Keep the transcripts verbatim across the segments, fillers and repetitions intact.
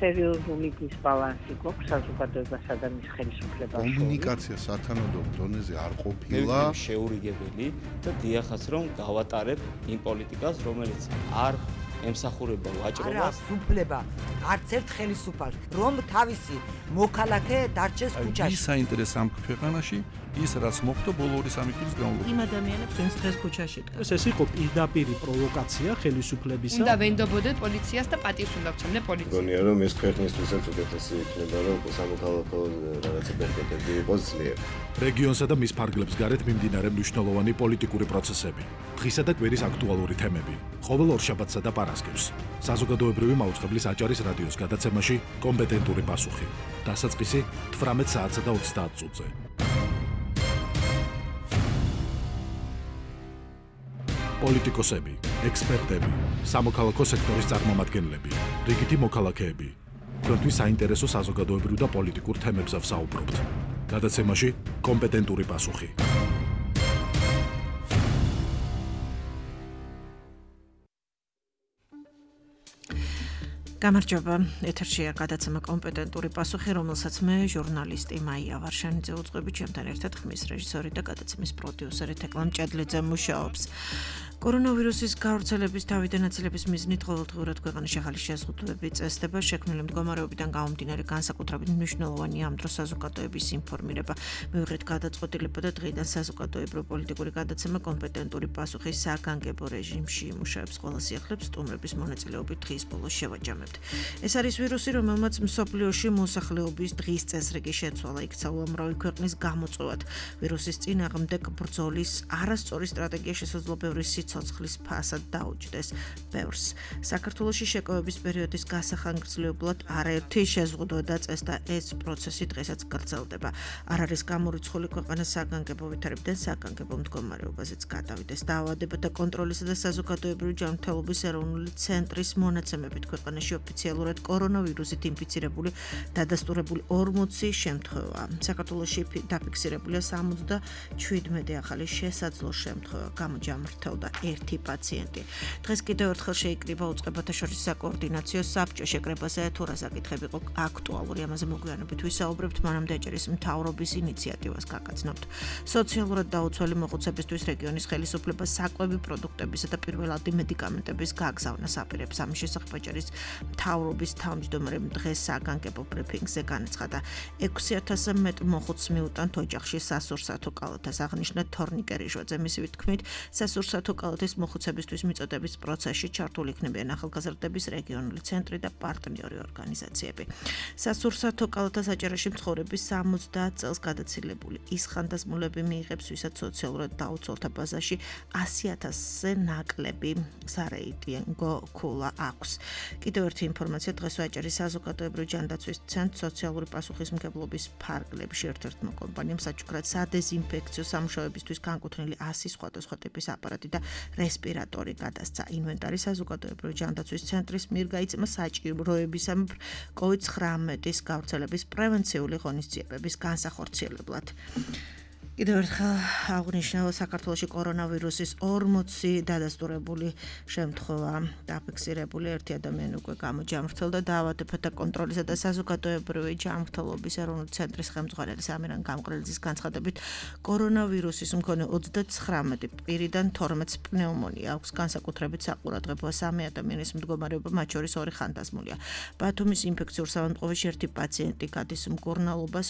სერიოზული დისბალანსი გვაქვს საზოგადოებასა და მის ხელისუფლებას შორის. კომუნიკაცია სათანადო დონეზე არ ყოფილა. შეურიგებელი და დიახაც რომ გავატარებ იმ პოლიტიკას, რომელიც არ ემსახურება ვაჭრობას. არა, უფლება არც ერთ ხელისუფალს, რომ თავისი მოქალაქე დარჩეს ქუჩაში. ის საინტერესო ამ ქვეყანაში ის რაც მოხდა ბოლო ორი სამი წლის განმავლობაში. იმ ადამიანებს ვინც დღეს ქუჩაში დგას. ეს იყო პირდაპირი პროვოკაცია ხელისუფლებისა. უნდა ვენდობოდეთ პოლიციას და პატივს უნდა ვცემდეთ პოლიციას. გონია რომ ეს ქვეყნისთვისაც უკეთესი იქნება რომ სამოქალაქო რაღაცა ბერკეტები იყოს ძლიერ. რეგიონსა და მის ფარგლებს გარეთ მიმდინარე მნიშვნელოვანი პოლიტიკური პროცესები, დღისა და კვირის აქტუალური თემები, ყოველ ორშაბათსა და პარასკევს. საზოგადოებრივი მაუწყებლის აჭარის რადიოს გადაცემაში კომპეტენტური პასუხი. დასაწყისი თვრამეტ საათსა და ოცდაათ წუთზე. პოლიტიკოსები, ექსპერტები, სამოქალაქო სექტორის წარმომადგენლები, რიგითი მოქალაქეები. თქვენთვის საინტერესო საზოგადოებრივ და პოლიტიკურ თემებზე ვსაუბრობთ. გადაცემაში კომპეტენტური პასუხი. გამარჯობა, ეთერშია გადაცემა კომპეტენტური პასუხი, რომელსაც მე ჟურნალისტი მაია ვარშანიძე უძღვები, ჩემთან ერთად ხმის რეჟისორი და გადაცემის პროდიუსერი თეკლამ ჭედლიძე მუშაობს. კორონავირუსის გავრცელების თავიდან აცილების მიზნით ყოველდღიურად ქვეყანაში ახალი შეზღუდვები წესდება, შექმნილი მდგომარეობიდან გამომდინარე განსაკუთრებით მნიშვნელოვანი ამ დროს საზოგადოების ინფორმირება. მივიღეთ გადაწყვეტილება და დღიდან საზოგადოებრივ პოლიტიკური გადაცემა კომპეტენტური პასუხი საგანგებო რეჟიმში იმუშავებს ყველა სიახლეებს სტუმრების მონაწილეობით დღის ბოლოს შევაჯამებთ. ეს არის ვირუსი, რომელმაც მსოფლიოში მოსახლეობის დღის წესრიგი შეცვალა, იქცა უამრავი ქვეყნის გამოწვევად. ვირუსის წინააღმდეგ ბრძოლის არასწორი სტრატეგია შესაძლოა ბევრი ცოცხლის ფასად დაუჯდეს ბევრს. საქართველოში შეკავების პერიოდის გასახანგრძლივებლად არაერთი შეზღუდვა დაწესდა, ეს პროცესი დღესაც გრძელდება. არ არის გამორიცხული ქვეყანა საგანგებო ვითარებიდან საგანგებო მდგომარეობაზეც გადავიდეს. დაავადებათა კონტროლისა და საზოგადოებრივი ჯანმრთელობის ეროვნული ცენტრის მონაცემებით ქვეყანაში ოფიციალურად კორონავირუსით ინფიცირებული დადასტურებული ორმოცი შემთხვევაა. საქართველოში დაფიქსირებულია სამოცდაშვიდმეტი ახალი შესაძლო შემთხვევა, გამოჯამრთელდა ერთი პაციენტი. დღეს კიდევ ერთხელ შეიკრიბა უწყებათა შორის საკოორდინაციო საბჭო. შეკრებაზე თუ რა საკითხები იყო აქტუალური, ამაზე მოგვიანებით ვისაუბრებთ, მანამდე აჭარის მთავრობის ინიციატივას გაგაცნობთ. სოციალურად დაუცველი მოხუცებისთვის რეგიონის ხელისუფლება საკვები პროდუქტებისა და პირველადი მედიკამენტების გაგზავნას აპირებს. ამის შესახებ აჭარის მთავრობის თავმჯდომარემ დღეს საგანგებო ბრიფინგზე განაცხადა. ექვსი ათასზე მეტ მოხუცს მიუტანთ ოჯახში სასურსათო კალათას, აღნიშნა თორნიკე რიშვაძე. მისი თქმით, სასურსათო კალათის მოხუცებისთვის მიწოდების პროცესში ჩართული იქნებიან ახალგაზრდების რეგიონული ცენტრი და პარტნიორი ორგანიზაციები. სასურსათო კალათას აჭარაში მცხოვრების სამოცდაათ წელს გადაცილებული ის ხანდაზმულები მიიღებს, ვისაც სოციალურად დაუცველთა ბაზაში ასი ათასზე ნაკლები სარეიტინგო ქულა აქვს. კიდევ ერთი ინფორმაცია, დღეს აჭარის საზოგადოებრივი ჯანდაცვის ცენტრ სოციალური პასუხისმგებლობის ფარგლებში ერთ-ერთმა კომპანიამ საჩუქრად სადეზინფექციო სამუშაოებისთვის განკუთვნილი ასი სხვადასხვა ტიპის აპარატი და რესპირატორი გადასცა. ინვენტარი საზოგადოებრივი ჯანდაცვის ცენტრის მიერ გაიწმა საჭიროებისამებრ კოვიდ ცხრამეტის გავრცელების პრევენციული ღონისძიებების განსახორციელებლად. კიდევ ერთხელ აღნიშნავ, საქართველოში კორონავირუსის ორმოცი დადასტურებული შემთხვევა დაფიქსირებული, ერთი ადამიანი უკვე გამოჯამრთელდა. დაავადებათა კონტროლისა და საზოგადოებრივი ჯანმრთელობის ეროვნული ცენტრის ხელმძღვანელის ამირან გამყრელიძის განცხადებით, კორონავირუსის მქონე ოცდაცხრამეტი პირიდან თორმეტს პნევმონია აქვს, განსაკუთრებით საყურადღებოა სამი ადამიანის მდგომარეობა, მათ შორის ორი ხანდაზმულია. ბათუმის ინფექციურ საავადმყოფოში ერთი პაციენტი გადის მკურნალობას,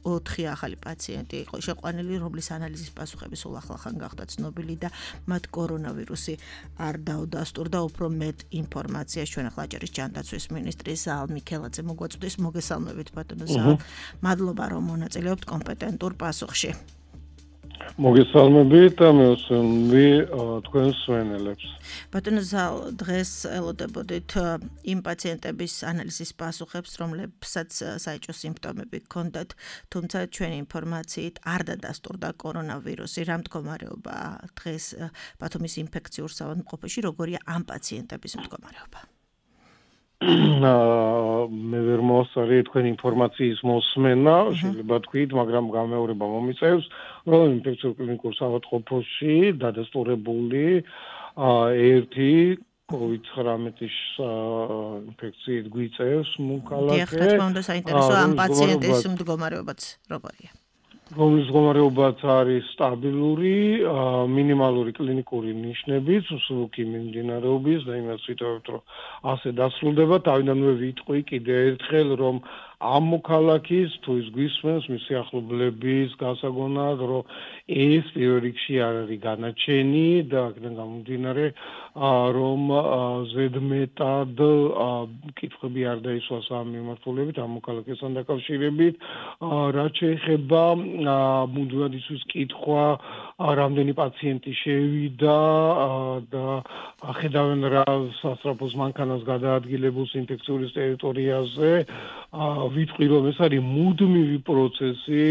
ოთხი ახალი პაციენტი იყო შეყვანილი, რომლის ანალიზის პასუხები სულ ახლახან გახდა ცნობილი და მათ კორონავირუსი არ დაუდასტურდა. უფრო მეტ ინფორმაციას ჩვენ ახლა აჭარის ჯანდაცვის მინისტრი ზაალ მიქელაძე მოგვაწვდის. მოგესალმებით ბატონო ზაალ. მადლობა რომ მონაწილეობთ კომპეტენტურ პასუხში. მოგესალმებით და მეოსმები თქვენს სვენელებს. ბატონო ზაალ, დღეს ელოდებოდით იმ პაციენტების ანალიზის პასუხებს, რომლებსაც საეჭვო სიმპტომები ჰქონდათ, თუმცა ჩვენი ინფორმაციით არ დადასტურდა კორონავირუსი. რა მდგომარეობა დღეს ბათუმის ინფექციურ საავადმყოფოში, როგორია ამ პაციენტების მდგომარეობა? მე ვერ მოსწარი თქვენ ინფორმაციის მოსმენა, შეიძლება თქვით, მაგრამ გამეორება მომიწევს, რომ ინფექციურ კლინიკურ საავადმყოფოში დადასტურებული ერთი კოვიდ ცხრამეტის ინფექციით გვიწევს მოქალაქე. დიახ, რა თქმა უნდა, საინტერესო ამ პაციენტის მდგომარეობაც როგორია? რომლის მდგომარეობაც არის სტაბილური, მინიმალური კლინიკური ნიშნებით, მსუბუქი მიმდინარეობის და იმას ვიტყობთ, რომ ასე დასრულდება. თავიდანვე ვიტყვი კიდე ერთხელ, რომ ამ მოქალაქის თუ ის გვისმენს მისი ახლობლების გასაგონად, რომ ეს პირველ რიგში არ არის განაჩენი და აქედან გამომდინარე, რომ ზედმეტად კითხვები არ დაისვას ამ მიმართულებით, ამ მოქალაქესთან დაკავშირებით, რაც შეეხება მუდმივად ისთვის კითხვა, რამდენი პაციენტი შევიდა და ხედავენ რა სასწრაფოს მანქანას გადაადგილებულს ინფექციური ტერიტორიაზე, ვიტყვი რომ ეს არის მუდმივი პროცესი,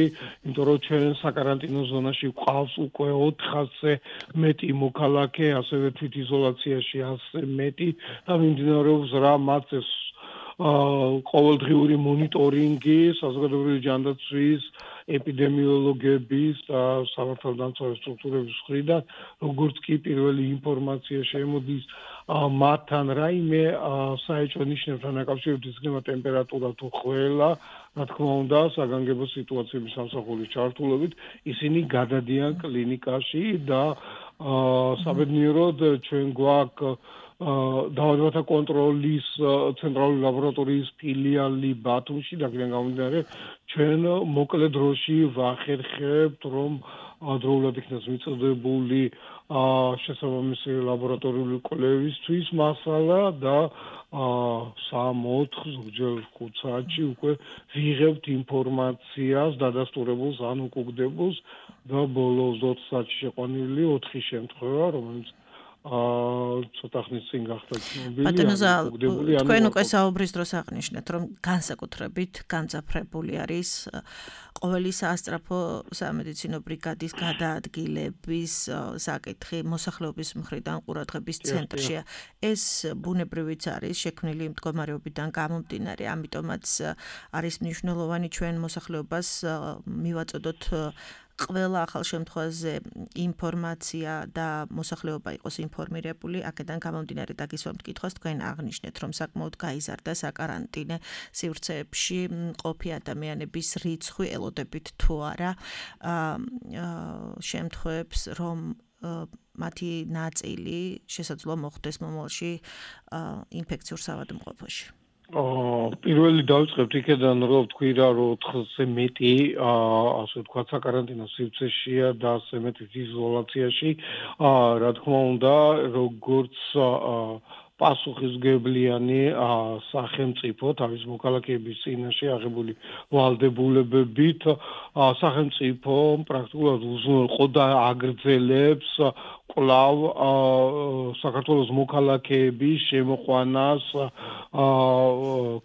იმიტომ რომ ჩვენ საკარანტინო ზონაში გვყავს უკვე ოთხასზე მეტი მოქალაქე, ასევე თვითიზოლაციაში ასზე მეტი და მიმდინარეობს რა მათ ეს ყოველდღიური მონიტორინგი საზოგადოებრივი ჯანდაცვის ეპიდემიოლოგების და სამართალდამცავი სტრუქტურების მხრიდან, როგორც კი პირველი ინფორმაცია შემოდის მათთან რაიმე საეჭვო ნიშნებთან დაკავშირებით, იქნება ტემპერატურა თუ ხველა, რა თქმა უნდა, საგანგებო სიტუაციების სამსახურის ჩართულობით ისინი გადადიან კლინიკაში და საბედნიეროდ ჩვენ გვაქვს დაავადებათა კონტროლის ცენტრალური ლაბორატორიის ფილიალი ბათუმში და აქედან გამომდინარე ჩვენ მოკლე დროში ვახერხებთ რომ დროულად იქნას მიწოდებული შესაბამისი ლაბორატორიული კვლევისთვის მასალა და სამ-ოთხ ზოგჯერ ხუთ საათში უკვე ვიღებთ ინფორმაციას დადასტურებულს ან უკუგდებულს და ბოლო ოცდაოთხ საათში შეყვანილი ოთხი შემთხვევა რომელიც ცოტა ხნის წინ გახდა ცნობილი. ბატონო ზალ, თქვენ უკვე საუბრის დროს აღნიშნეთ, რომ განსაკუთრებით განძაფრებული არის ყოველი სასწრაფო სამედიცინო ბრიგადის გადაადგილების საკითხი მოსახლეობის მხრიდან ყურადღების ცენტრშია. ეს ბუნებრივიც არის შექმნილი მდგომარეობიდან გამომდინარე, ამიტომაც არის მნიშვნელოვანი ჩვენ მოსახლეობას მივაწოდოთ ყველა ახალ შემთხვევაზე ინფორმაცია და მოსახლეობა იყოს ინფორმირებული, აქედან გამომდინარე დაგისვამთ კითხვას, თქვენ აღნიშნეთ, რომ საკმაოდ გაიზარდა საკარანტინე სივრცეებში მყოფი ადამიანების რიცხვი, ელოდებით თუ არა შემთხვევებს, რომ მათი ნაწილი შესაძლოა მოხდეს მომავალში ინფექციურ საავადმყოფოში. პირველი დავიწყებთ იქედან რომ თქვი რა რომ ოთხზე მეტი ასე ვთქვათ საკარანტინო სივრცეშია და ასე მეტი იზოლაციაში რა თქმა უნდა როგორც პასუხისგებლიანი სახელმწიფო თავის მოქალაქეების წინაშე აღებული ვალდებულებებით სახელმწიფო პრაქტიკულად უზრუნველყო და აგრძელებს კვლავ საქართველოს მოქალაქეების შემოყვანას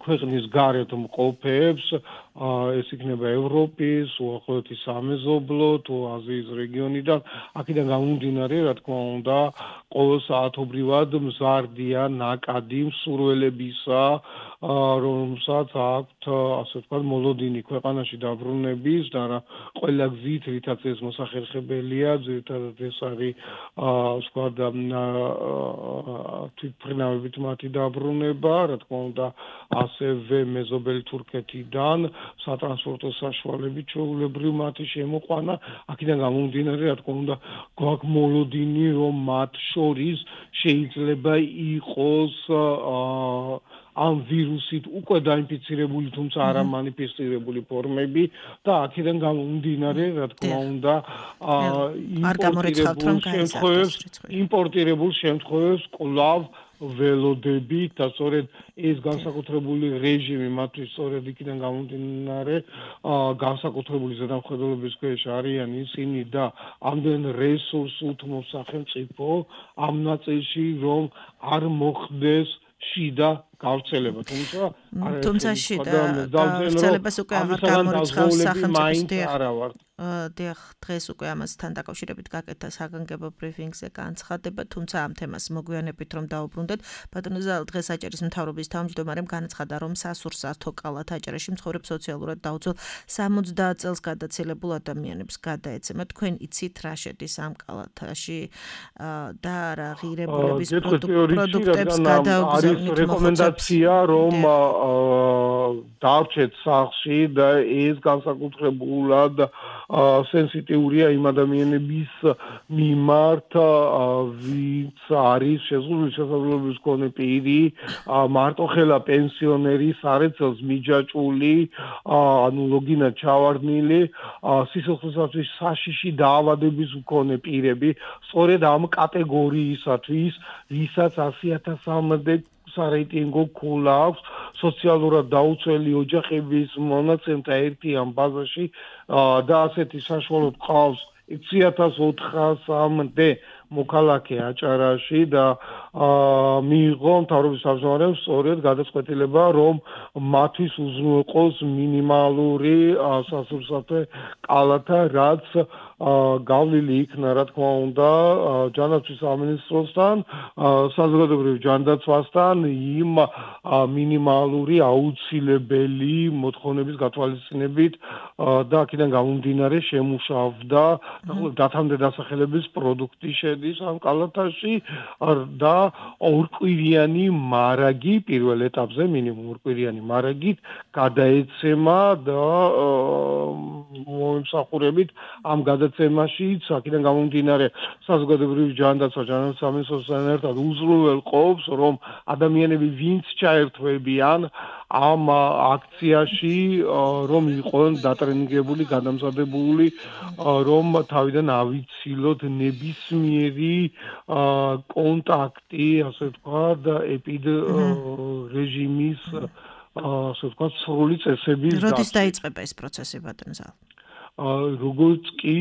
ქვეყნის გარეთ მყოფებს ეს იქნება ევროპის, უახლოეთის სამეზობლო თუ აზიის რეგიონიდან, აქედან გამომდინარე, რა თქმა უნდა, ყოველსაათობრივად მზარდია ნაკადი მსურველებისა, რომელსაც აქვთ, ასე ვთქვათ, მოლოდინი ქვეყანაში დაბრუნების და რა ყველა გზით, რითაც ეს მოსახერხებელია, ძირითადად ეს არის ვთქვათ, თვითმფრინავებით მათი დაბრუნება, რა თქმა უნდა, ასევე მეზობელი თურქეთიდან სატრანსპორტო საშუალებით ჩვეულებრივ მათი შემოყვანა, აქედან გამომდინარე, რა თქმა უნდა, გვაქვს მოლოდინი, რომ მათ შორის შეიძლება იყოს ამ ვირუსით უკვე დაინფიცირებული, თუმცა არა მანიფესტირებული ფორმები და აქედან გამომდინარე, რა თქმა უნდა, იმპორტირებულ შემთხვევებს კვლავ ველოდებით და სწორედ ეს განსაკუთრებული რეჟიმი მათთვის სწორედ იქიდან გამომდინარე განსაკუთრებული ზედამხედველობის ქვეშ არიან ისინი და ამდენ რესურს უთმობს სახელმწიფო ამ ნაწილში რომ არ მოხდეს შიდა გავრცელება, თუმცა თუმცა შიდა გავრცელებას უკვე აღარ გამორიცხავს სახელმწიფო არა ვარ. დიახ, დღეს უკვე ამასთან დაკავშირებით გაკეთა საგანგებო ბრიფინგზე განცხადება, თუმცა ამ თემას მოგვიანებით რომ დაუბრუნდეთ, ბატონო ზალ დღეს აჭარის მთავრობის თავმჯდომარემ განაცხადა, რომ სასურსათო კალათ აჭარაში მცხოვრებ სოციალურად დაუცველ სამოცდაათ წელს გადაცილებულ ადამიანებს გადაეცემა. თქვენ იცით რა შედის ამ კალათაში და რა ღირებულების პროდუქტებს გადაუგზავნით რეკომენდაცია, რომ დარჩეთ სახლში და ეს განსაკუთრებულად სენსიტიურია იმ ადამიანების მიმართ, ვინც არის შეზღუდული შესაძლებლობის მქონე პირი, მარტოხელა პენსიონერი, სარეცელს მიჯაჭვული, ანუ ლოგინად ჩავარდნილი, სიცოცხლისათვის საშიში დაავადების მქონე პირები, სწორედ ამ კატეგორიისათვის, ვისაც ასი ათასამდე სარეიტინგო ქულა აქვს სოციალურად დაუცველი ოჯახების მონაცემთა ერთიან ბაზაში და ასეთი საშუალოდ ყავს ექვსი ათას ოთხასამდე მოქალაქე აჭარაში და მიიღო მთავრობის თავმჯდომარემ სწორედ გადაწყვეტილება, რომ მათთვის უზრუნველყოს მინიმალური სასურსათო კალათა, რაც გავლილი იქნა, რა თქმა უნდა, ჯანდაცვის სამინისტროსთან, საზოგადოებრივ ჯანდაცვასთან იმ მინიმალური აუცილებელი მოთხოვნების გათვალისწინებით და აქედან გამომდინარე შემუშავდა დათამდე დასახელების პროდუქტი შედის ამ კალათაში და ორკვირიანი მარაგი პირველ ეტაპზე მინიმუმ ორკვირიანი მარაგით გადაეცემა და მომსახურებით ამ გადაცემაშიც აქედან გამომდინარე საზოგადოებრივი ჯანდაცვა ჯანდაცვის სამინისტროსთან ერთად უზრუნველყოფს, რომ ადამიანები ვინც ჩაერთვებიან ამ აქციაში, რომ იყვნენ დატრენინგებული, გადამზადებული, რომ თავიდან ავიცილოთ ნებისმიერი კონტაქტი, ასე ვთქვათ, ეპიდ რეჟიმის, ასე ვთქვათ, სრული წესების დაცვა. როდის დაიწყება ეს პროცესი, ბატონო ზალ? როგორც კი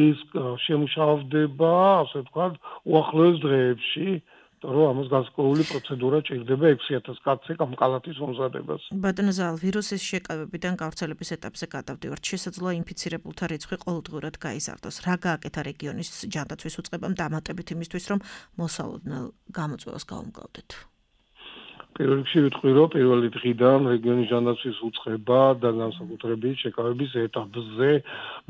ეს შემუშავდება, ასე ვთქვათ, უახლოეს დღეებში, რომ ამას განსაკუთრებული პროცედურა ჭირდება ექვსი ათას კაცზე ამ კალათის მომზადებას. ბატონო ზალ, ვირუსის შეკავებიდან გავრცელების ეტაპზე გადავდივართ. შესაძლოა ინფიცირებულთა რიცხვი ყოველდღურად გაიზარდოს. რა გააკეთა რეგიონის ჯანდაცვის უწყებამ დამატებით იმისთვის, რომ მოსალოდნელ გამოწვევას გაუმკლავდეთ? პირველ რიგში ვიტყვი, რომ პირველი დღიდან რეგიონის ჯანდაცვის უწყება და განსაკუთრებით შეკავების ეტაპზე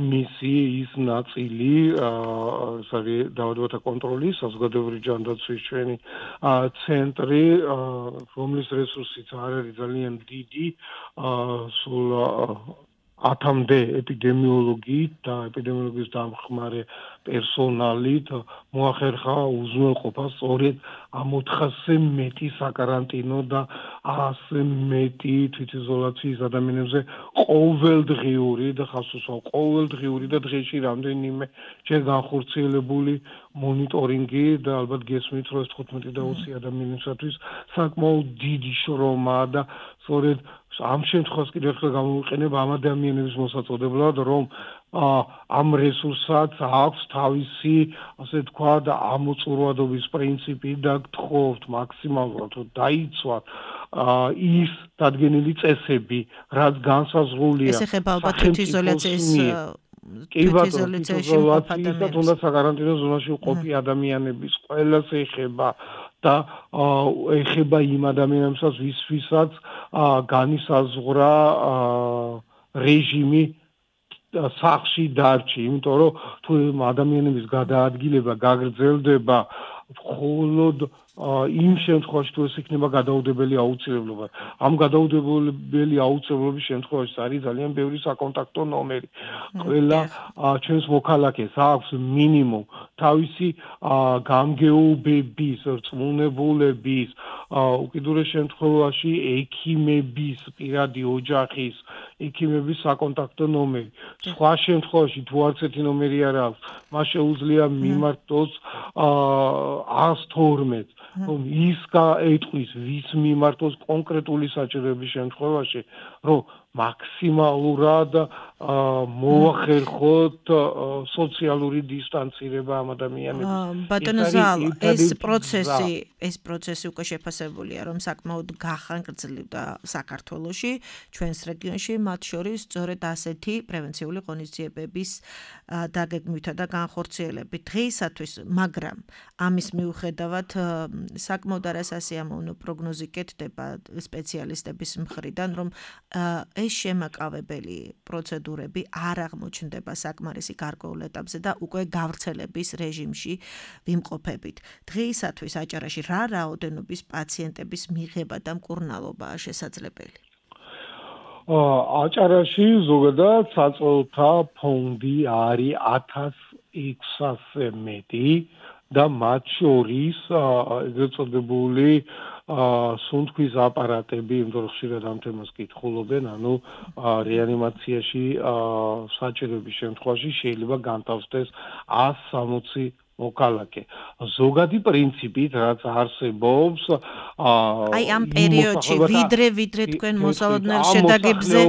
მისი ის ნაწილი, ეს არის დაავადებათა კონტროლის საზოგადოებრივი ჯანდაცვის ჩვენი ცენტრი, რომლის რესურსიც არ არის ძალიან დიდი, სულ ათამდე ეპიდემიოლოგით და ეპიდემიოლოგიის დამხმარე პერსონალით მოახერხა უზრუნველყოფა სწორედ ამ ოთხასზე მეტი საკარანტინო და ასზე მეტი თვითიზოლაციის ადამიანებზე ყოველდღიური და ხასუსავ ყოველდღიური და დღეში რამდენიმე ჯერ განხორციელებული მონიტორინგი და ალბათ გესმით, რომ ეს თხუთმეტი და ოცი ადამიანისათვის საკმაოდ დიდი შრომაა და სწორედ ამ შემთხვევას კიდევ ერთხელ გამოვიყენებ ამ ადამიანების მოსაწოდებლად, რომ ამ რესურსაც აქვს თავისი, ასე ვთქვათ, ამოწურვადობის პრინციპი და გთხოვთ მაქსიმალურად რომ დაიცვათ ის დადგენილი წესები, რაც განსაზღვრულია. ეს ეხება ალბათ თვითიზოლაციის თვითიზოლაციაში და თუნდაც საკარანტინო ზონაში მყოფი ადამიანების ყველას ეხება და ეხება იმ ადამიანებსაც, ვისთვისაც განისაზღვრა რეჟიმი სახლში დარჩი, იმიტომ რომ თუ ადამიანების გადაადგილება გაგრძელდება მხოლოდ იმ შემთხვევაში თუ ეს იქნება გადაუდებელი აუცილებლობა. ამ გადაუდებელი აუცილებლობის შემთხვევაში არის ძალიან ბევრი საკონტაქტო ნომერი. ყველა ჩვენს მოქალაქეს აქვს მინიმუმ თავისი გამგეობების, რწმუნებულების, უკიდურეს შემთხვევაში ექიმების, პირადი ოჯახის ექიმების საკონტაქტო ნომერი. სხვა შემთხვევაში თუ არც ერთი ნომერი არ აქვს, მას შეუძლია მიმართოს ას თორმეტ რომ ის გაეტყვის ვის მიმართოს კონკრეტული საჭიროების შემთხვევაში, რომ მაქსიმალურად მოახერხოთ სოციალური დისტანცირება ამ ადამიანების. ბატონო ზალ, ეს პროცესი, ეს პროცესი უკვე შეფასებულია, რომ საკმაოდ გახანგრძლივდა საქართველოში, ჩვენს რეგიონში, მათ შორის სწორედ ასეთი პრევენციული ღონისძიებების დაგეგმვითა და განხორციელებით. დღეისათვის, მაგრამ ამის მიუხედავად საკმაოდ არასასიამოვნო პროგნოზი კეთდება სპეციალისტების მხრიდან, რომ ეს შემაკავებელი პროცედურები არ აღმოჩნდება საკმარისი გარკვეულ ეტაპზე და უკვე გავრცელების რეჟიმში ვიმყოფებით. დღეისათვის აჭარაში რა რაოდენობის პაციენტების მიღება და მკურნალობაა შესაძლებელი? აჭარაში ზოგადად საწოლთა ფონდი არის ათას ექვსასზე მეტი და მათ შორის ეგრეთ წოდებული სუნთქვის აპარატები, იმიტომ რომ ხშირად ამ თემას კითხულობენ, ანუ რეანიმაციაში საჭიროების შემთხვევაში შეიძლება განთავსდეს ას სამოცი მოქალაქე. ზოგადი პრინციპით, რაც არსებობს, აი ამ პერიოდში ვიდრე ვიდრე თქვენ მოსალოდნელ შედაგებზე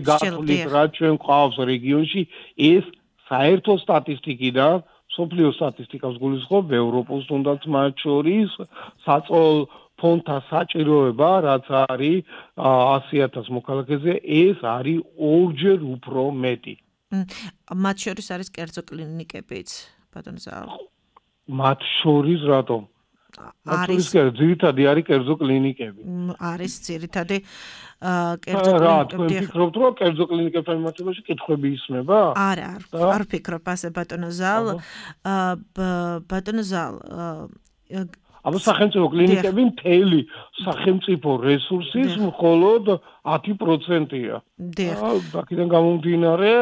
გათვლით, რაც ჩვენ გვყავს რეგიონში, ეს საერთო სტატისტიკიდან, სოფლიო სტატისტიკას გულისხმობ, ევროპოს თუნდაც მათ შორის საწოლ ფონდთა საჭიროება, რაც არის ასი ათას მოქალაქეზე, ეს არის ორჯერ უფრო მეტი. მათ შორის არის კერძო კლინიკებიც, ბატონო ზალ. მათ შორის რატომ? არის ძირითადი არის კერძო კლინიკები. არის ძირითადი კერძო კლინიკები. რა, თქვენ ფიქრობთ, რომ კერძო კლინიკებთან მიმართებაში კითხვები ისმება? არა, არ ვფიქრობ ასე ბატონო ზალ. ბატონო ზალ, აბა სახელმწიფო კლინიკები მთელი სახელმწიფო რესურსის მხოლოდ ათი პროცენტია. აქედან გამომდინარე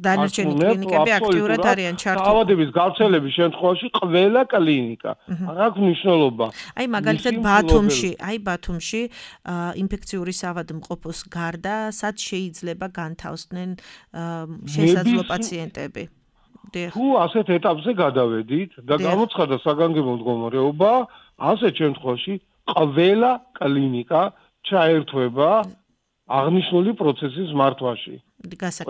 დანარჩენი კლინიკები აქტიურად არიან ჩართული. დაავადების გავრცელების შემთხვევაში ყველა კლინიკა არ აქვს მნიშვნელობა. აი მაგალითად ბათუმში, აი ბათუმში ინფექციური საავადმყოფოს გარდა სად შეიძლება განთავსდნენ შესაძლო პაციენტები? თუ ასეთ ეტაპზე გადავედით და გამოცხადა საგანგებო მდგომარეობა, ასეთ შემთხვევაში ყველა კლინიკა ჩაერთვება აღნიშნული პროცესის მართვაში.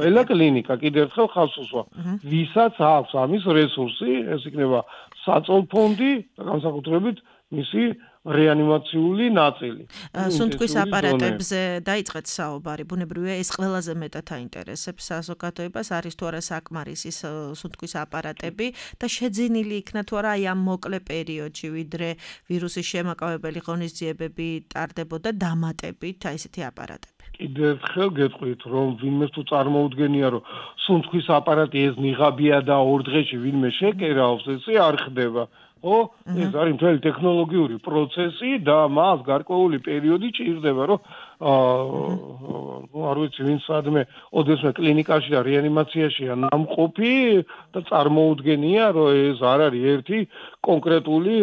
ყველა კლინიკა კიდევ ერთხელ ხაზს უსვა. ვისაც აქვს ამის რესურსი, ეს იქნება საწოლფონდი და განსაკუთრებით მისი რეანიმაციული ნაწილი. სუნთქვის აპარატებზე დაიწყეთ საუბარი, ბუნებრივია ეს ყველაზე მეტად აინტერესებს საზოგადოებას, არის თუ არა საკმარისი სუნთქვის აპარატები და შეძენილი იქნა თუ არა აი ამ მოკლე პერიოდში, ვიდრე ვირუსის შემაკავებელი ღონისძიებები ტარდებოდა დამატებით აი ესეთი აპარატები. კიდევ ერთხელ გეტყვით, რომ ვინმე თუ წარმოუდგენია, რომ სუნთქვის აპარატი ეს ნიღაბია და ორ დღეში ვინმე შეკერავს, ესე არ ხდება. ო, ეს არის მთელი ტექნოლოგიური პროცესი და მას გარკვეული პერიოდი ჭირდება, რომ აა არ ვიცი ვინ სადმე ოდესმე კლინიკაში და რეანიმაციაშია ნამყოფი და წარმოუდგენია, რომ ეს არ არის ერთი კონკრეტული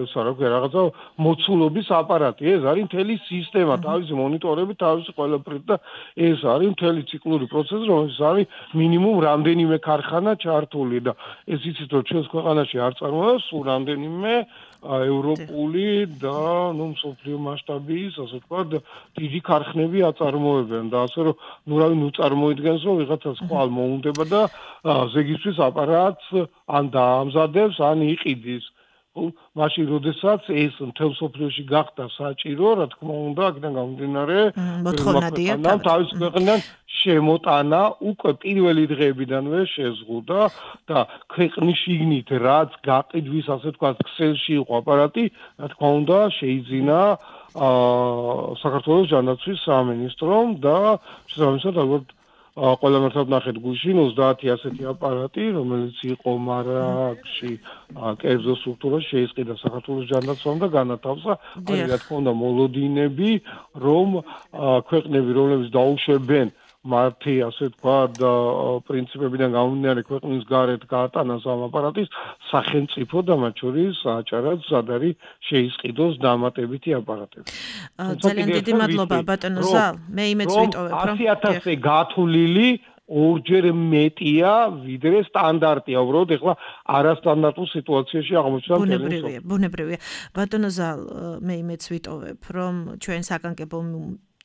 ეს რა ქვია რაღაცა მოცულობის აპარატი, ეს არის მთელი სისტემა, თავისი მონიტორები, თავისი ყველაფრით და ეს არის მთელი ციკლური პროცესი, რომელიც არის მინიმუმ რამდენიმე ქარხანა ჩართული და ეს იცით რომ ჩვენს ქვეყანაში არ წარმოება სულ რამდენიმე ევროპული და ნუ მსოფლიო მასშტაბის, ასე ვთქვათ, დიდი ქარხნები აწარმოებენ და ასე რომ ნუ რავი ნუ წარმოიდგენს რომ ვიღაცა სხვა მოუნდება და ზეგისთვის აპარატს ან დაამზადებს, ან იყიდის. მაშინ როდესაც ეს მთელ სოფლიოში გახდა საჭირო, რა თქმა უნდა, აქედან გამომდინარე, მოთხოვნადია თავის ქვეყნიდან შემოტანა უკვე პირველი დღეებიდანვე შეზღუდა და ქვეყნის შიგნით რაც გაყიდვის, ასე ვთქვათ, ქსელში იყო აპარატი, რა თქმა უნდა, შეიძინა საქართველოს ჯანდაცვის სამინისტრომ და შესაბამისად ალბათ ყველა მართლად ნახეთ გუშინ ოცდაათი ასეთი აპარატი, რომელიც იყო მარაგში კერძო სტრუქტურაში შეისყიდა საქართველოს ჯანდაცვამ და განათავსა. არის რა თქმა უნდა მოლოდინები, რომ ქვეყნები, რომლებიც დაუშვებენ მათი, ასე ვთქვათ, პრინციპებიდან გამომდინარე ქვეყნის გარეთ გაატანას ამ აპარატის სახელმწიფო და მათ შორის აჭარაც სად არის შეისყიდოს დამატებითი აპარატები. ძალიან დიდი მადლობა ბატონო ზალ, მე იმეც ვიტოვებ, რომ ასი ათასზე გათვლილი ორჯერ მეტია ვიდრე სტანდარტია. უბრალოდ ეხლა არასტანდარტულ სიტუაციაში აღმოჩნდა ბუნებრივია, ბუნებრივია. ბატონო ზალ, მე იმეც ვიტოვებ, რომ ჩვენ საკანკებო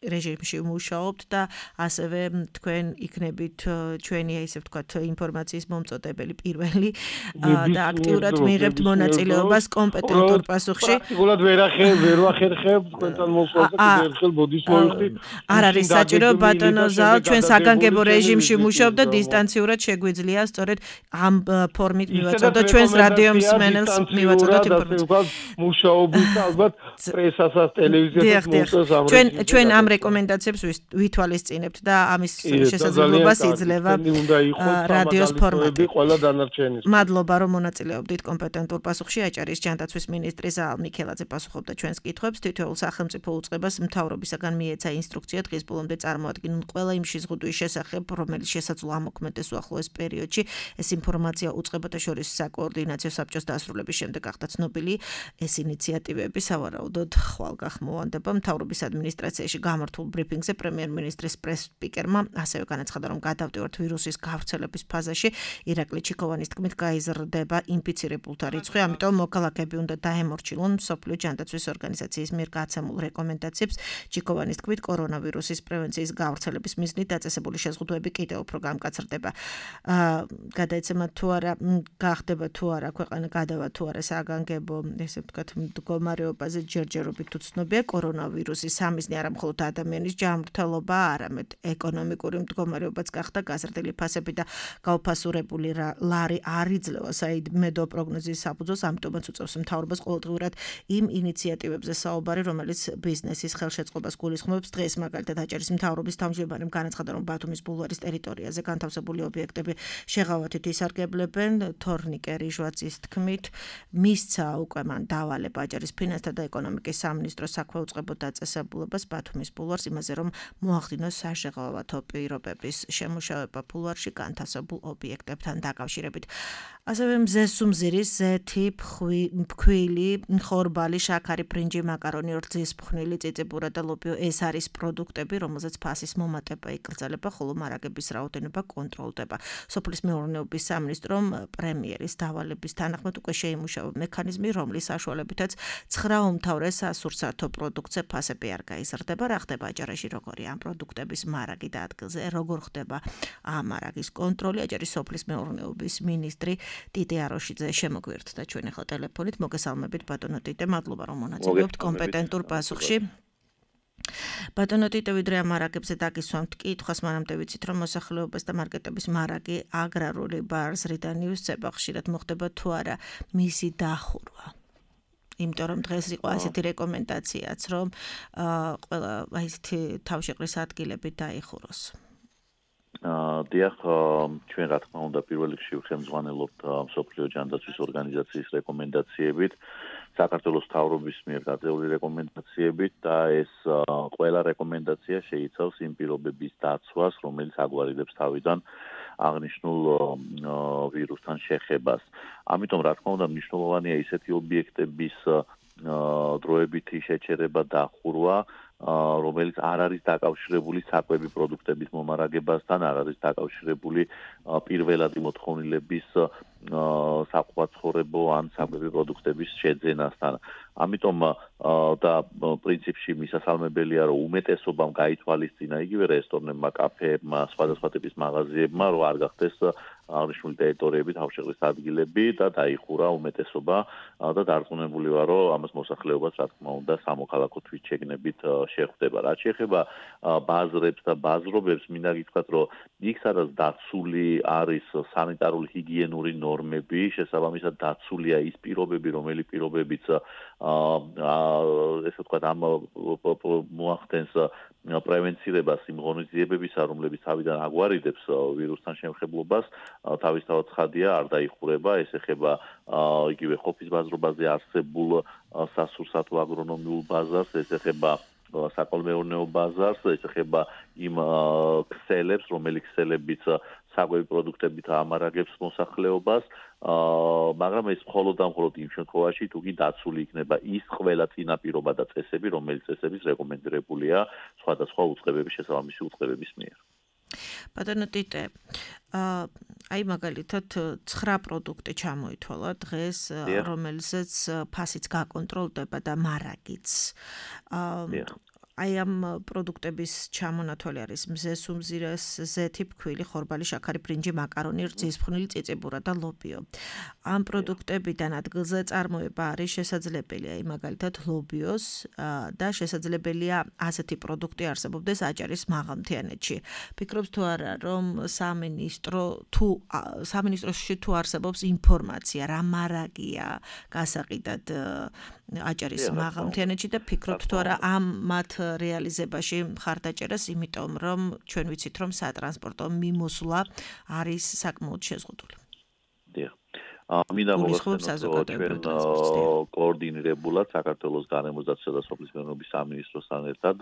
რეჟიმში მუშაობთ და ასევე თქვენ იქნებით ჩვენი ისე ვთქვათ ინფორმაციის მომწოდებელი პირველი და აქტიურად მიიღებთ მონაწილეობას კომპეტენტურ პასუხში. პრაქტიკულად ვერ ახერ ვერ ვახერხებ თქვენთან მოსვლას და კიდევ ერთხელ ბოდის მოვიხდი. არ არის საჭირო ბატონო ზალ, ჩვენ საკანკებო რეჟიმში მუშაობთ და დისტანციურად შეგვიძლია სწორედ ამ ფორმით მივაწოდოთ ჩვენს რადიო მსმენელს მივაწოდოთ ინფორმაცია. მუშაობის ალბათ პრესასაც ტელევიზიასაც მოსწონს ამ ჩვენ ჩვენ ამ რეკომენდაციებს ვითვალისწინებთ და ამის შესაძლებლობას იძლევა რადიოს ფორმატი. ყველა დანარჩენის. მადლობა რომ მონაწილეობდით კომპეტენტურ პასუხში. აჭარის ჯანდაცვის მინისტრი ზაალ მიქელაძე პასუხობდა ჩვენს კითხვებს. თითოეულ სახელმწიფო უწყებას მთავრობისაგან მიეცა ინსტრუქცია დღის ბოლომდე წარმოადგინონ ყველა იმ შეზღუდვის შესახებ, რომელიც შესაძლოა ამოქმედდეს უახლოეს პერიოდში. ეს ინფორმაცია უწყებათა შორის საკოორდინაციო საბჭოს დასრულების შემდეგ გახდა ცნობილი. ეს ინიციატივები სავარაუდოდ ხვალ გახმოვანდება. მთავრობის ადმინისტრაციაში გამართულ ბრიფინგზე პრემიერ-მინისტრის პრეს-სპიკერმა ასევე განაცხადა, რომ გადავდივართ ვირუსის გავრცელების ფაზაში. ირაკლი ჩიქოვანის თქმით, გაიზრდება ინფიცირებულთა რიცხვი, ამიტომ მოქალაქეები უნდა დაემორჩილონ მსოფლიო ჯანდაცვის ორგანიზაციის მიერ გაცემულ რეკომენდაციებს. ჩიქოვანის თქმით, კორონავირუსის პრევენციის გავრცელების მიზნით დაწესებული შეზღუდვები კიდევ უფრო გამკაცრდება. გადაეცემა თუ არა, გახდება თუ არა ქვეყანა გადავა თუ არა საგანგებო, ესე ვთქვათ, მდგომარეობაზე ჯერჯერობით უცნობია. კორონავირუსის სამიზნე არა მხოლოდ ადამიანის ჯანმრთელობა, არამედ ეკონომიკური მდგომარეობაც გახდა გაზრდილი ფასები და გაუფასურებული ლარი არ იძლევა საიმედო პროგნოზის საფუძველს, ამიტომაც უწევს მთავრობას ყოველდღიურად იმ ინიციატივებზე საუბარი, რომელიც ბიზნესის ხელშეწყობას გულისხმობს. დღეს მაგალითად აჭარის მთავრობის თავმჯდომარემ განაცხადა, რომ ბათუმის ბულვარის ტერიტორიაზე განთავსებული ობიექტები შეღავათით ისარგებლებენ. თორნიკე რიჟვაძის თქმით, მისცა უკვე მან დავალება აჭარის ფინანსთა და ეკონომიკის სამინისტროს საქვეუწყებო დაწესებულებას ბათუმის ბულვარს იმაზე, რომ მოახდინოს საშეღავათო პირობების შემუშავება ბულვარში განთავსებულ ობიექტებთან დაკავშირებით. ასევე მზესუმზირის ზეთი, ფქვილი, ხორბალი, შაქარი, ბრინჯი, მაკარონი, რძის ფხვნილი, წიწიბურა და ლობიო ეს არის პროდუქტები, რომელზეც ფასის მომატება იკრძალება, ხოლო მარაგების რაოდენობა კონტროლდება. სოფლის მეურნეობის სამინისტრომ პრემიერის დავალების თანახმად უკვე შეიმუშავა მექანიზმი, რომლის საშუალებითაც ცხრა უმთავრეს სასურსათო პროდუქტზე ფასები არ გაიზრდება. რა ხდება აჭარაში, როგორი ამ პროდუქტების მარაგი და ადგილზე, როგორ ხდება ამ მარაგის კონტროლი. აჭარის სოფლის მეურნეობის მინისტრი ტიტე აროშიძე შემოგვიერთდა ჩვენ ახლა ტელეფონით. მოგესალმებით ბატონო ტიტე, მადლობა რომ მონაწილეობთ კომპეტენტურ პასუხში. ბატონო ტიტე, ვიდრე ამ მარაგებზე დაგისვამთ კითხვას, მანამდე ვიცით, რომ მოსახლეობას და მარკეტების მარაგი აგრარული ბაზრიდან ივსება, ხშირად მოხდება თუ არა მისი დახურვა. იმიტომ რომ დღეს იყო ასეთი რეკომენდაციაც, რომ ყველა აი ესეთი თავშეყრის ადგილები დაიხუროს. დიახ, ჩვენ რა თქმა უნდა პირველ რიგში ხელმძღვანელობთ მსოფლიო ჯანდაცვის ორგანიზაციის რეკომენდაციებით, საქართველოს მთავრობის მიერ გაწეული რეკომენდაციებით და ეს ყველა რეკომენდაცია შეიცავს იმ პირობების დაცვას, რომელიც აგვარიდებს თავიდან აღნიშნულ ვირუსთან შეხებას. ამიტომ რა თქმა უნდა მნიშვნელოვანია ისეთი ობიექტების დროებითი შეჩერება და ხურვა, რომელიც არ არის დაკავშირებული საკვები პროდუქტების მომარაგებასთან, არ არის დაკავშირებული პირველადი მოთხოვნილების საყვაცხოვრებო ან საკვები პროდუქტების შეძენასთან. ამიტომ და პრინციპში მისასალმებელია, რომ უმეტესობამ გაითვალისწინა იგივე რესტორნებმა, კაფეებმა, სხვადასხვა ტიპის მაღაზიებმა, რომ არ გახდეს აღნიშნული ტერიტორიები თავშეყრის ადგილები და დაიხურა უმეტესობა და დარწმუნებული ვარ, რომ ამას მოსახლეობას რა თქმა უნდა სამოქალაქო თვითშეგნებით შეხვდება. რაც შეეხება ბაზრებს და ბაზრობებს, მინდა გითხრათ, რომ იქ სადაც დაცული არის სანიტარული ჰიგიენური ნორმები, შესაბამისად დაცულია ის პირობები, რომელი პირობებიც ესე ვთქვათ ამ მოახდენს პრევენცირებას იმ ღონისძიებებისა, რომლებიც თავიდან აგვარიდებს ვირუსთან შემხებლობას, თავისთავად ცხადია არ დაიხურება. ეს ეხება იგივე ხოფის ბაზრობაზე არსებულ სასურსათო აგრონომიულ ბაზარს, ეს ეხება საკოლმეურნეო ბაზარს, ეს ეხება იმ ქსელებს, რომელი ქსელებიც საკვები პროდუქტებით ამარაგებს მოსახლეობას, მაგრამ ეს მხოლოდ და მხოლოდ იმ შემთხვევაში, თუ კი დაცული იქნება ის ყველა წინაპირობა და წესები, რომელიც წესების რეკომენდირებულია სხვადასხვა უწყებების შესაბამისი უწყებების მიერ. ბატონო ტიტე, აი მაგალითად ცხრა პროდუქტი ჩამოითვალა დღეს, რომელზეც ფასიც გაკონტროლდება და მარაგიც. აი ამ პროდუქტების ჩამონათვალი არის მზეს უმზირეს, ზეთი, ფქვილი, ხორბალი, შაქარი, ბრინჯი, მაკარონი, რძის ფხვნილი, წიწიბურა და ლობიო. ამ პროდუქტებიდან ადგილზე წარმოება არის შესაძლებელი, აი მაგალითად ლობიოს და შესაძლებელია ასეთი პროდუქტი არსებობდეს აჭარის მაღალმთიანეთში. ფიქრობთ თუ არა, რომ სამინისტრო თუ სამინისტროში თუ არსებობს ინფორმაცია, რა მარაგია გასაყიდად აჭარის მაღალმთიანეთში და ფიქრობთ თუ არა ამ მათ რეალიზებაში მხარდაჭერას, იმიტომ რომ ჩვენ ვიცით რომ სატრანსპორტო მიმოსვლა არის საკმაოდ შეზღუდული. დიახ. მინდა მოგახსენოთ რომ ჩვენ კოორდინირებულად საქართველოს გარემოსდაცვისა და სოფლის მეურნეობის სამინისტროსთან ერთად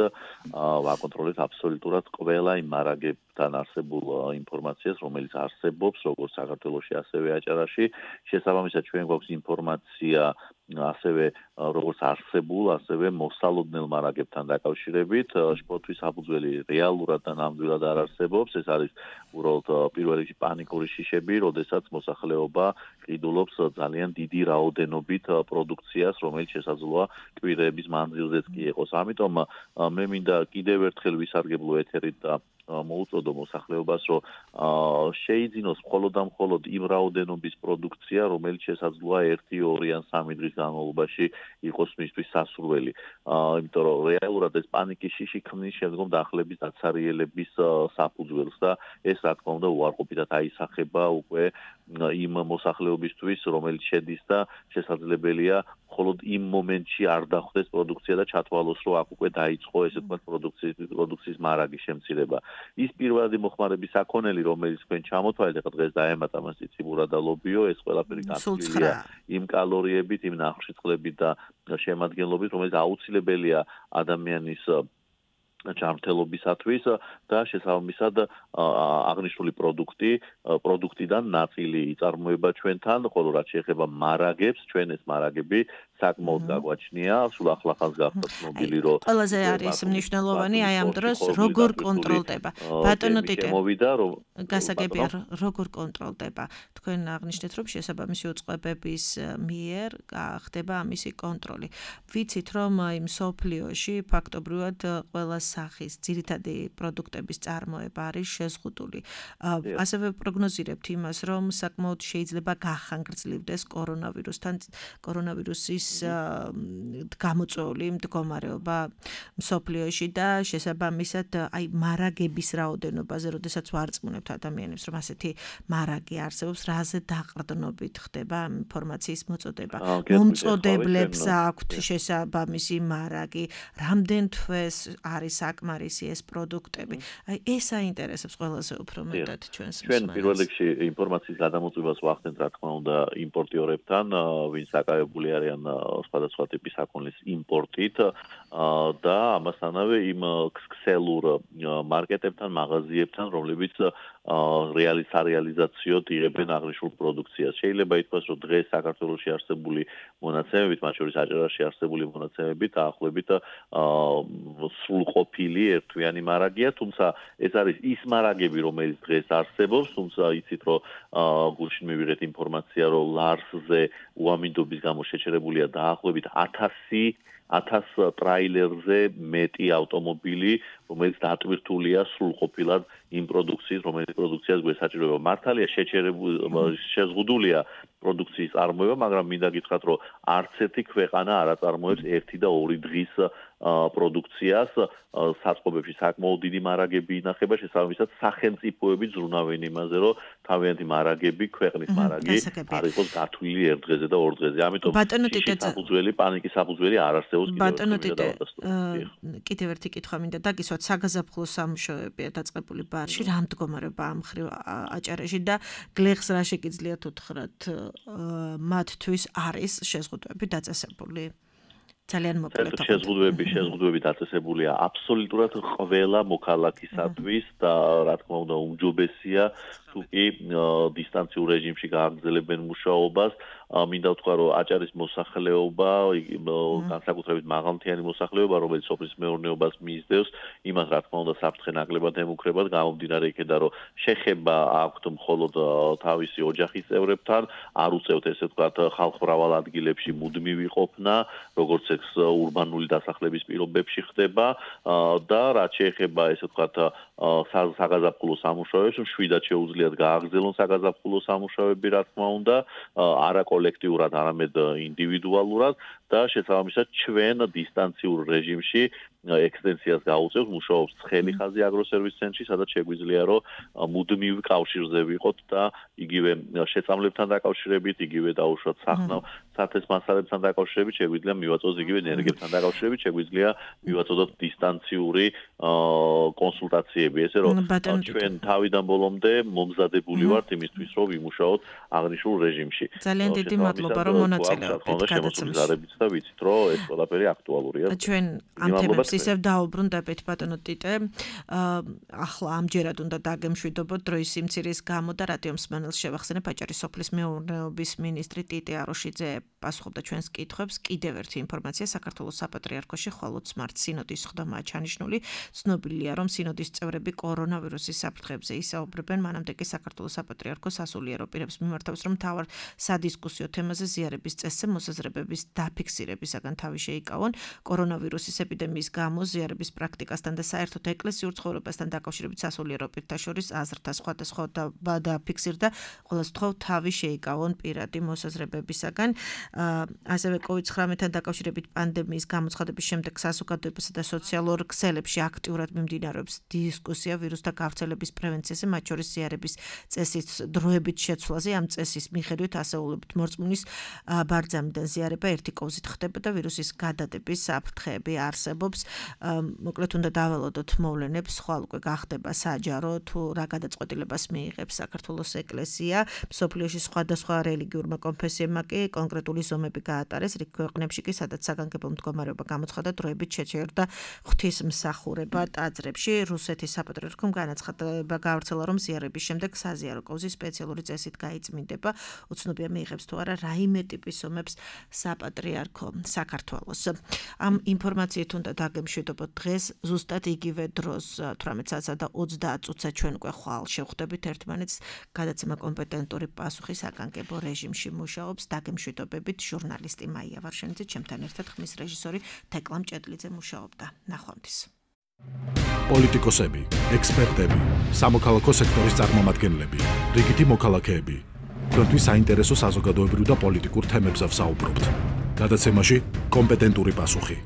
ვაკონტროლებთ აბსოლუტურად ყველა იმ მარაგებთან არსებულ ინფორმაციას, რომელიც არსებობს როგორც საქართველოში, ასევე აჭარაში. შესაბამისად ჩვენ გვაქვს ინფორმაცია ასევე როგორც არსებულ, ასევე მოსალოდნელ მარაგებთან დაკავშირებით. შპორტის საფუძველი რეალურად და ნამდვილად არ არსებობს. ეს არის უბრალოდ პირველ რიგში პანიკური შიშები, როდესაც მოსახლეობა ყიდულობს ძალიან დიდი რაოდენობით პროდუქციას, რომელიც შესაძლოა კვირების მანძილზეც კი იყოს. ამიტომ მე მინდა კიდევ ერთხელ ვისარგებლო ეთერით და მოუწოდო მოსახლეობას, რომ შეიძინოს მხოლოდ და მხოლოდ იმ რაოდენობის პროდუქცია, რომელიც შესაძლოა ერთი, ორი ან სამი დღის განმავლობაში იყოს მისთვის სასურველი. იმიტომ რომ რეალურად ეს პანიკის შიში ქმნის შემდგომ დახლების დაცარიელების საფუძველს და ეს რა თქმა უნდა უარყოფითად აისახება უკვე იმ მოსახლეობისთვის, რომელიც შედის და შესაძლებელია მხოლოდ იმ მომენტში არ დახვდეს პროდუქცია და ჩათვალოს, რომ აქ უკვე დაიწყო ესე თქვა პროდუქციის პროდუქციის მარაგის შემცირება. ის პირველადი მოხმარების საქონელი, რომელიც თქვენ ჩამოთვალეთ, ახლა დღეს დაემატა მას ციციბურა და ლობიო, ეს ყველაფერი გაცვლილია იმ კალორიებით, იმ ნახვშიწყლებით და შემადგენლობით, რომელიც აუცილებელია ადამიანის ჯანმრთელობისათვის და შესაბამისად აღნიშნული პროდუქტი პროდუქტიდან ნაწილი იწარმოება ჩვენთან, ხოლო რაც შეეხება მარაგებს, ჩვენ ეს მარაგები საკმაოდ გაგვაჩნია, სულ ახლახანს გახდა ცნობილი, რომ ყველაზე არის მნიშვნელოვანი აი ამ დროს როგორ კონტროლდება. ბატონო ტიტე, გასაგებია როგორ კონტროლდება. თქვენ აღნიშნეთ, რომ შესაბამისი უწყებების მიერ ხდება ამისი კონტროლი. ვიცით, რომ აი მსოფლიოში ფაქტობრივად ყველა სახის ძირითადი პროდუქტების წარმოება არის შეზღუდული. ასევე პროგნოზირებთ იმას, რომ საკმაოდ შეიძლება გახანგრძლივდეს კორონავირუსთან კორონავირუსის გამოწვეული მდგომარეობა მსოფლიოში და შესაბამისად აი მარაგების რაოდენობაზე, როდესაც ვარწმუნებთ ადამიანებს, რომ ასეთი მარაგი არსებობს, რაზე დაყრდნობით ხდება ინფორმაციის მოწოდება. მომწოდებლებს აქვთ შესაბამისი მარაგი, რამდენ თვეს არის საკმარისი ეს პროდუქტები. აი ეს აინტერესებს ყველაზე უფრო მეტად ჩვენს მსმენელს. ჩვენ პირველ რიგში ინფორმაციის გადამოწვევას ვახდენთ, რა თქმა უნდა, იმპორტიორებთან, ვინც საკავებული არიან სხვადასხვა ტიპის საქონლის იმპორტით და ამასთანავე იმ ქსელურ მარკეტებთან, მაღაზიებთან, რომლებიც რეალის სარეალიზაციოდ იღებენ აღნიშნულ პროდუქციას. შეიძლება ითქვას, რომ დღეს საქართველოში არსებული მონაცემებით, მათ შორის აჭარაში არსებული მონაცემებით დაახლოებით სრულყოფილი ერთვიანი მარაგია, თუმცა ეს არის ის მარაგები, რომელიც დღეს არსებობს, თუმცა იცით, რომ გულში მივიღეთ ინფორმაცია, რომ ლარსზე უამინდობის გამო შეჩერებულია დაახლოებით ათასი ათას ტრაილერზე მეტი ავტომობილი, რომელიც დატვირთულია სრულყოფილად იმ პროდუქციის, რომელიც პროდუქციას გვესაჭიროება. მართალია შეზღუდულია პროდუქციის წარმოება, მაგრამ მინდა გითხრათ, რომ არც ერთი ქვეყანა არ აწარმოებს ერთი და ორი დღის პროდუქციას, საწყობებში საკმაოდ დიდი მარაგები ინახება, შესაბამისად სახელმწიფოები ზრუნავენ იმაზე, რომ თავიანთი მარაგები, ქვეყნის მარაგი არ იყოს გათვლილი ერთ დღეზე და ორ დღეზე. ამიტომ საფუძველი, პანიკის საფუძველი არ არსებობს კიდევ ბატონო ტიტე, კიდევ ერთი კითხვა მინდა დაგისვათ, საგაზაფხულო სამუშაოებია დაწყებული ბარში, რა მდგომარეობა ამ მხრივ აჭარაში და გლეხს რა შეგიძლიათ უთხრათ მათთვის არის შეზღუდვები დაწესებული? ძალიან მოკლედ. შეზღუდვები, შეზღუდვები დაწესებულია აბსოლუტურად ყველა მოქალაქისათვის და რა თქმა უნდა უმჯობესია თუ კი დისტანციურ რეჟიმში გააგრძელებენ მუშაობას, მინდა ვთქვა, რომ აჭარის მოსახლეობა, განსაკუთრებით მაღალმთიანი მოსახლეობა, რომელიც სოფლის მეურნეობას მისდევს, იმას რა თქმა უნდა საფრთხე ნაკლებად ემუქრებათ, გამომდინარე იქედან, რომ შეხება აქვთ მხოლოდ თავისი ოჯახის წევრებთან, არ უწევთ ესე ვთქვათ ხალხმრავალ ადგილებში მუდმივი ყოფნა, როგორც ეს ურბანული დასახლების პირობებში ხდება და რაც შეეხება ესე ვთქვათ საგაზაფხულო სამუშაოებს, მშვიდად შეუძლიათ გააგრძელონ საგაზაფხულო სამუშაოები, რა თქმა უნდა, არა კოლექტიურად, არამედ ინდივიდუალურად და შესაბამისად ჩვენ დისტანციურ რეჟიმში ექსტენსიას გაუწევთ, მუშაობს ცხელი ხაზი აგროსერვის ცენტრში, სადაც შეგვიძლია რომ მუდმივ კავშირზე ვიყოთ და იგივე შეწამლებთან დაკავშირებით, იგივე დაუშვათ სახნავ სათეს მასალებთან დაკავშირებით, შეგვიძლია მივაწოდოთ იგივე ენერგიებთან დაკავშირებით, შეგვიძლია მივაწოდოთ დისტანციური კონსულტაციები, ესე რომ ჩვენ თავიდან ბოლომდე მომზადებული ვართ იმისთვის, რომ ვიმუშაოთ აღნიშნულ რეჟიმში. ძალიან დიდი მადლობა, რომ მონაწილეობთ გადაცემაში. და ვიცით, რომ ეს ყველაფერი აქტუალურია. ჩვენ ამ თემებს ისევ დაუბრუნდებით, ბატონო ტიტე. ახლა ამჯერად უნდა დაგემშვიდობოთ დროის სიმცირის გამო და რადიო მსმენელს შევახსენებ, აჭარის სოფლის მეურნეობის მინისტრი ტიტე აროშიძე პასუხობდა ჩვენს კითხვებს. კიდევ ერთი ინფორმაცია, საქართველოს საპატრიარქოში ხვალ ოცი მარტს სინოდის ხდომაა ჩანიშნული. ცნობილია, რომ სინოდის წევრები კორონავირუსის საფრთხეებზე ისაუბრებენ, მანამდე კი საქართველოს საპატრიარქო სასულიერო პირებს მიმართავს, რომ მთავარ სადისკუსიო თემაზე ზიარების წესზე მოსაზრებების დაფიქსირებისაგან თავი შეიკავონ. კორონავირუსის ეპიდემიის გამო ზიარების პრაქტიკასთან და საერთოდ ეკლესიურ ცხოვრებასთან დაკავშირებით სასულიერო პირთა შორის აზრთა სხვადასხვა დაფიქსირდა, ყოველს თხოვ თავი შეიკავონ პირადი მოსაზრებებისაგან. ასევე კოვიდ ცხრამეტთან დაკავშირებით პანდემიის გამოცხადების შემდეგ საზოგადოებასა და სოციალურ ქსელებში აქტიურად მიმდინარეობს დისკუსია ვირუსთა გავრცელების პრევენციაზე, მათ შორის ზიარების წესის დროებით შეცვლაზე. ამ წესის მიხედვით ასეულობით მორწმუნის ბარძამიდან ზიარება ერთი კოვზით ხდება და ვირუსის გადადების საფრთხეები არსებობს. მოკლედ უნდა დაველოდოთ მოვლენებს, ხვალ უკვე გახდება საჯარო თუ რა გადაწყვეტილებას მიიღებს საქართველოს ეკლესია. მსოფლიოში სხვადასხვა რელიგიურმა კონფესიებმა კი კონკრეტული ზომები გაატარეს, რიგ ქვეყნებში კი სადაც საგანგებო მდგომარეობა გამოცხადა, დროებით შეჩერდა ღვთისმსახურება ტაძრებში. რუსეთის საპატრიარქომ განაცხადება გავრცელა, რომ ზიარების შემდეგ საზიარო კოვზი სპეციალური წესით გაიწმინდება. უცნობია მიიღებს თუ არა რაიმე ტიპის ომებს საპატრიარქო საქართველოს. ამ ინფორმაციით უნდა დაგემშვიდობოთ დღეს, ზუსტად იგივე დროს თვრამეტ საათსა და ოცდაათ წუთზე ჩვენ უკვე ხვალ შევხვდებით ერთმანეთს. გადაცემა კომპეტენტური პასუხი საგანგებო რეჟიმში მუშაობს. დაგემშვიდობებით ჟურნალისტი მაია ვარშენიძე, ჩემთან ერთად ხმის რეჟისორი თეკლა მჭედლიძე მუშაობდა. ნახვამდის. პოლიტიკოსები, ექსპერტები, სამოქალაქო სექტორის წარმომადგენლები, რიგითი მოქალაქეები. თქვენთვის საინტერესო საზოგადოებრივ და პოლიტიკურ თემებზე ვსაუბრობთ. გადაცემაში კომპეტენტური პასუხი.